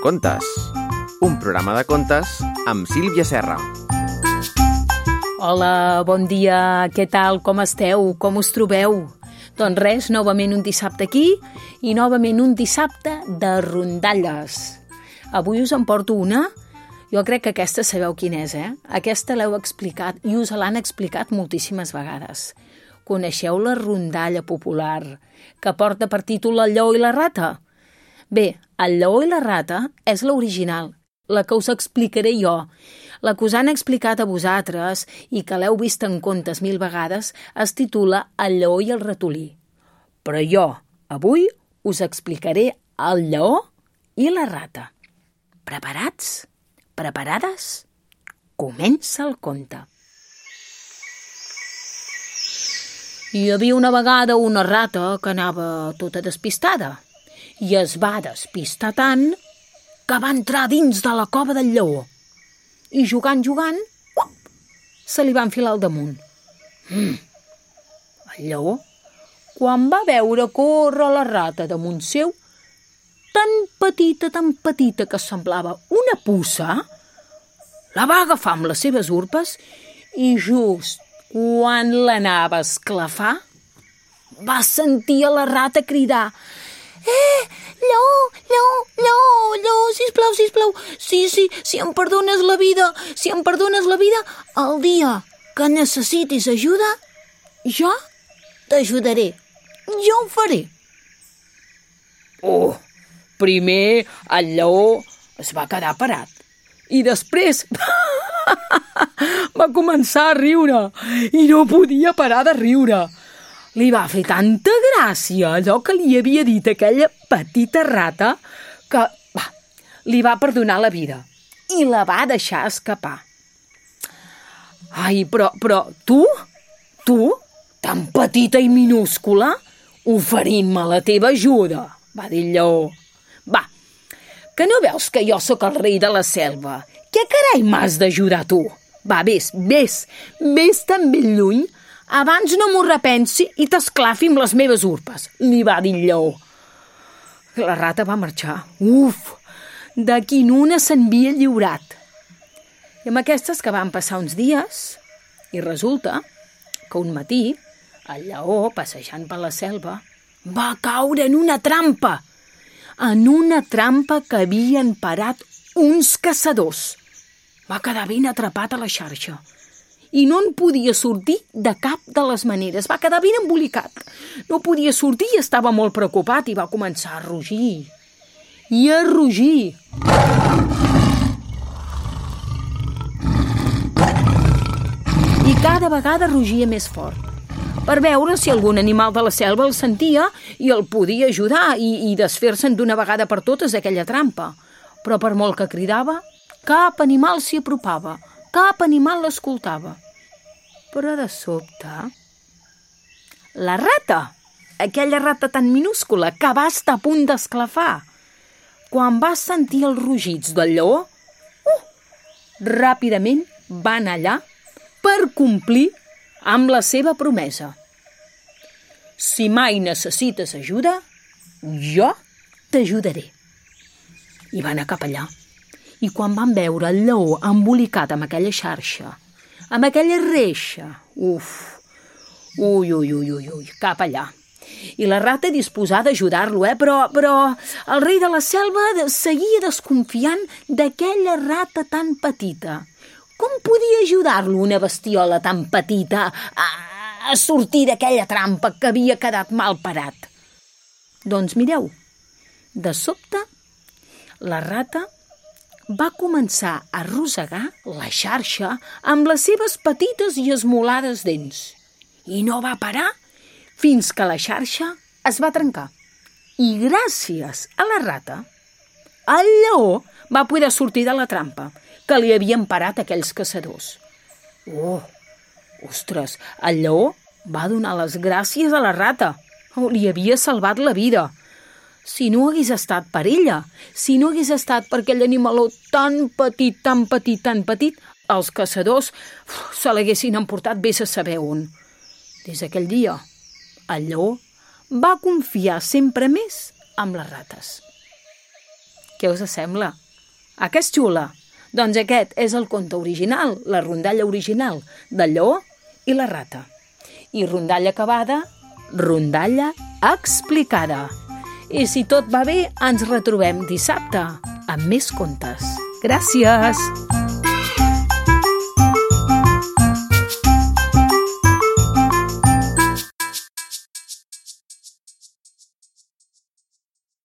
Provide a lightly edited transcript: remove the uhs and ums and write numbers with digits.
Contes, un programa de contes amb Sílvia Serra. Hola, bon dia, què tal, com esteu, com us trobeu? Doncs res, novament un dissabte aquí i novament un dissabte de rondalles. Avui us en porto una. Jo crec que aquesta sabeu quina és, Aquesta l'heu explicat i us l'han explicat moltíssimes vegades. Coneixeu la rondalla popular que porta per títol El lleó i la rata? Bé, El lleó i la rata és l'original, la que us explicaré jo. La que us han explicat a vosaltres i que l'heu vist en contes 1000 vegades es titula El lleó i el ratolí. Però jo, avui, us explicaré el lleó i la rata. Preparats? Preparades? Comença el conte. Hi havia una vegada una rata que anava tota despistada i es va despistar tant que va entrar dins de la cova del lleó i jugant, se li va enfilar al damunt. El lleó, quan va veure córrer la rata damunt seu, tan petita que semblava una puça, la va agafar amb les seves urpes i just quan l'anava a esclafar, va sentir a la rata cridar: Lleó, sisplau, si em perdones la vida, el dia que necessitis ajuda, jo t'ajudaré, jo ho faré. Primer el lleó es va quedar parat i després va començar a riure i no podia parar de riure. Li va fer tanta gràcia allò que li havia dit aquella petita rata que li va perdonar la vida i la va deixar escapar. Ai, però tu, tan petita i minúscula, oferint-me la teva ajuda, va dir el lleó. Va, que no veus que jo sóc el rei de la selva? Què carai m'has d'ajudar tu? Va, vés tan ben lluny, abans no m'ho repensi i t'esclafi amb les meves urpes, li va dir el lleó. La rata va marxar. D'aquí en una se'n havia lliurat. I amb aquestes que van passar uns dies, i resulta que un matí el lleó, passejant per la selva, va caure en una trampa que havien parat uns caçadors. Va quedar ben atrapat a la xarxa i no en podia sortir de cap de les maneres. Va quedar ben embolicat. No podia sortir i estava molt preocupat i va començar a rugir. I a rugir. I cada vegada rugia més fort, per veure si algun animal de la selva el sentia i el podia ajudar i desfer-se'n d'una vegada per totes d'aquella trampa. Però per molt que cridava, cap animal s'hi apropava, cap animal l'escoltava. Però de sobte, la rata, aquella rata tan minúscula que va estar a punt d'esclafar, quan va sentir els rugits del lleó, ràpidament va anar allà per complir amb la seva promesa. Si mai necessites ajuda, jo t'ajudaré. I va anar cap allà. I quan van veure el lleó embolicat amb aquella xarxa, amb aquella reixa, cap allà. I la rata disposada a ajudar-lo, però el rei de la selva seguia desconfiant d'aquella rata tan petita. Com podia ajudar-lo una bestiola tan petita a sortir d'aquella trampa que havia quedat mal parat? Doncs mireu, de sobte, la rata va començar a arrossegar la xarxa amb les seves petites i esmolades dents. I no va parar fins que la xarxa es va trencar. I gràcies a la rata, el lleó va poder sortir de la trampa que li havien parat aquells caçadors. Ostres, el lleó va donar les gràcies a la rata. Li havia salvat la vida. Si no hagués estat per ella, si no hagués estat per aquell animaló tan petit, els caçadors se l'haguessin emportat vés a saber on. Des d'aquell dia, el lleó va confiar sempre més amb les rates. Què us sembla? A què és xula? Doncs aquest és el conte original, la rondalla original del lleó i la rata. I rondalla acabada, rondalla explicada. I si tot va bé, ens retrobem dissabte amb més contes. Gràcies!